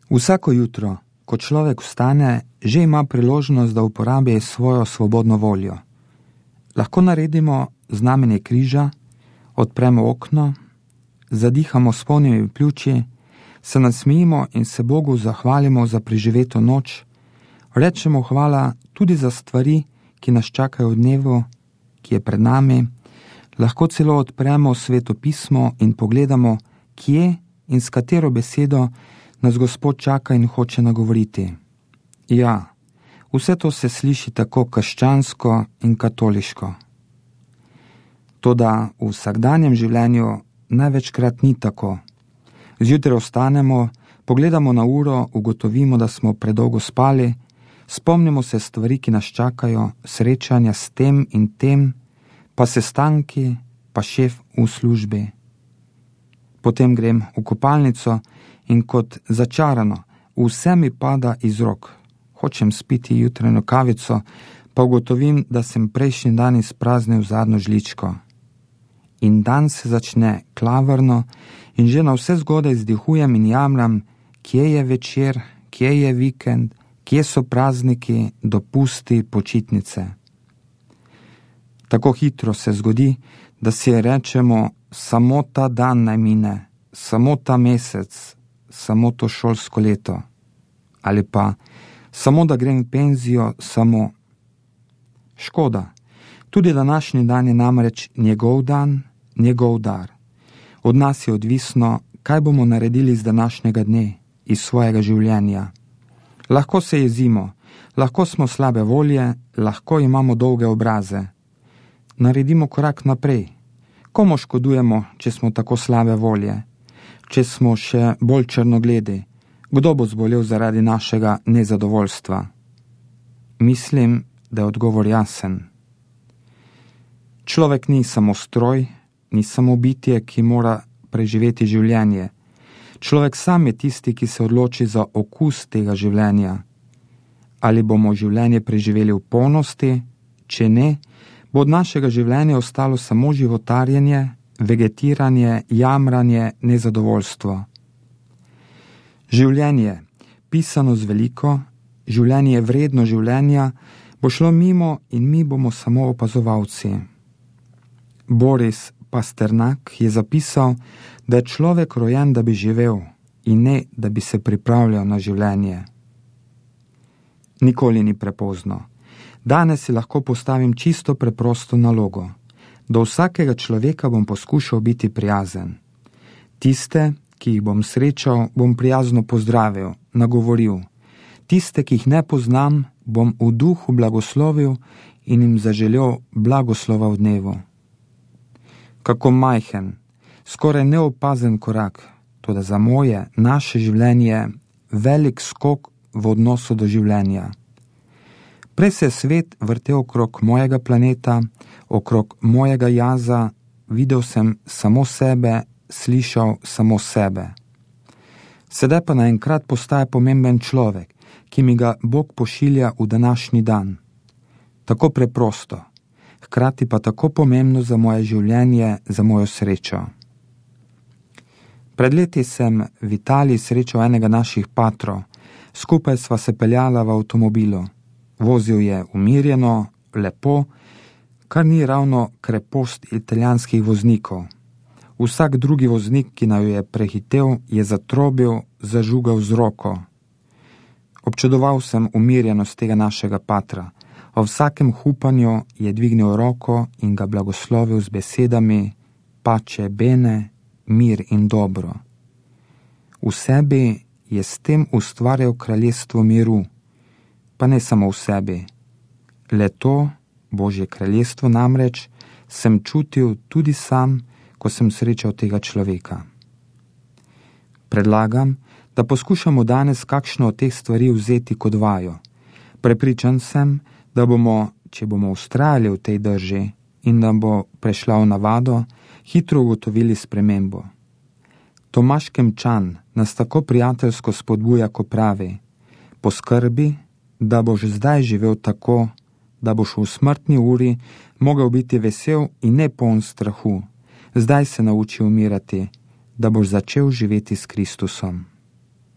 Vsako jutro, ko človek vstane, že ima priložnost, da uporabi svojo svobodno voljo. Lahko naredimo znamenje križa, odpremo okno, zadihamo s polnimi pljuči, se nasmejimo in se Bogu zahvalimo za preživeto noč, rečemo hvala tudi za stvari, ki nas čakajo v dnevu, ki je pred nami, lahko celo odpremo Sveto pismo in pogledamo, kje in s katero besedo nas Gospod čaka in hoče nagovoriti. Ja, vse to se sliši tako krščansko in katoliško. Toda v vsakdanjem življenju največkrat ni tako. Zjutraj vstanemo, pogledamo na uro, ugotovimo, da smo predolgo spali, spomnimo se stvari, ki nas čakajo, srečanja s tem in tem, pa sestanki, pa šef v službi. Potem grem v kopalnico in kot začarano, vse mi pada iz rok. Hočem spiti jutranjo kavico, pa ugotovim, da sem prejšnji dan izpraznil zadnjo žličko. In dan se začne klavrno in že na vse zgodaj izdihujem in jamram, kje je večer, kje je vikend, kje so prazniki, dopusti, počitnice. Tako hitro se zgodi, da si rečemo, samo ta dan naj mine, samo ta mesec, samo to šolsko leto. Ali pa, samo da grem v penzijo, samo. Škoda, tudi današnji dan je namreč njegov dan, njegov dar. Od nas je odvisno, kaj bomo naredili z današnjega dne, iz svojega življenja. Lahko se jezimo, lahko smo slabe volje, lahko imamo dolge obraze. Naredimo korak naprej. Komu škodujemo, če smo tako slabe volje? Če smo še bolj črnogledi? Kdo bo zbolel zaradi našega nezadovoljstva? Mislim, da je odgovor jasen. Človek ni samo stroj, ni samo bitje, ki mora preživeti življenje. Človek sam je tisti, ki se odloči za okus tega življenja. Ali bomo življenje preživeli v polnosti, če ne, bo od našega življenja ostalo samo životarjenje, vegetiranje, jamranje, nezadovoljstvo. Življenje, pisano z veliko, življenje vredno življenja, bo šlo mimo in mi bomo samo opazovalci. Boris Pasternak je zapisal, da je človek rojen, da bi živel in ne, da bi se pripravljal na življenje. Nikoli ni prepozno. Danes si lahko postavim čisto preprosto nalogo. Do vsakega človeka bom poskušal biti prijazen. Tiste, ki jih bom srečal, bom prijazno pozdravil, nagovoril. Tiste, ki jih ne poznam, bom v duhu blagoslovil in jim zaželel blagoslova v dnevu. Kako majhen, skoraj neopazen korak, toda za moje, naše življenje velik skok v odnosu do življenja. Prej se je svet vrtel okrog mojega planeta, okrog mojega jaza, videl sem samo sebe, slišal samo sebe. Sedaj pa naenkrat postaja pomemben človek, ki mi ga Bog pošilja v današnji dan. Tako preprosto, hkrati pa tako pomembno za moje življenje, za mojo srečo. Pred leti sem v Italiji srečal enega naših patrov, skupaj sva se peljala v avtomobilu. Vozil je umirjeno, lepo, kar ni ravno krepost italijanskih voznikov. Vsak drugi voznik, ki naju je prehitel, je zatrobil, zažugal z roko. Občudoval sem umirjenost tega našega patra. O vsakem hupanju je dvignil roko in ga blagoslovil z besedami pace bene, mir in dobro. V sebi je s tem ustvarjal kraljestvo miru, pa ne samo v sebi. Le to, Božje kraljestvo namreč, sem čutil tudi sam, ko sem srečal tega človeka. Predlagam, da poskušamo danes kakšno od teh stvari vzeti kot vajo. Prepričan sem, da bomo, če bomo vztrajali v tej drži in da bo prešla v navado, hitro ugotovili spremembo. Tomaž Kemčan nas tako prijateljsko spodbuja, ko pravi: poskrbi, da boš zdaj živel tako, da boš v smrtni uri mogel biti vesel in ne poln strahu. Zdaj se nauči umirati, da boš začel živeti s Kristusom.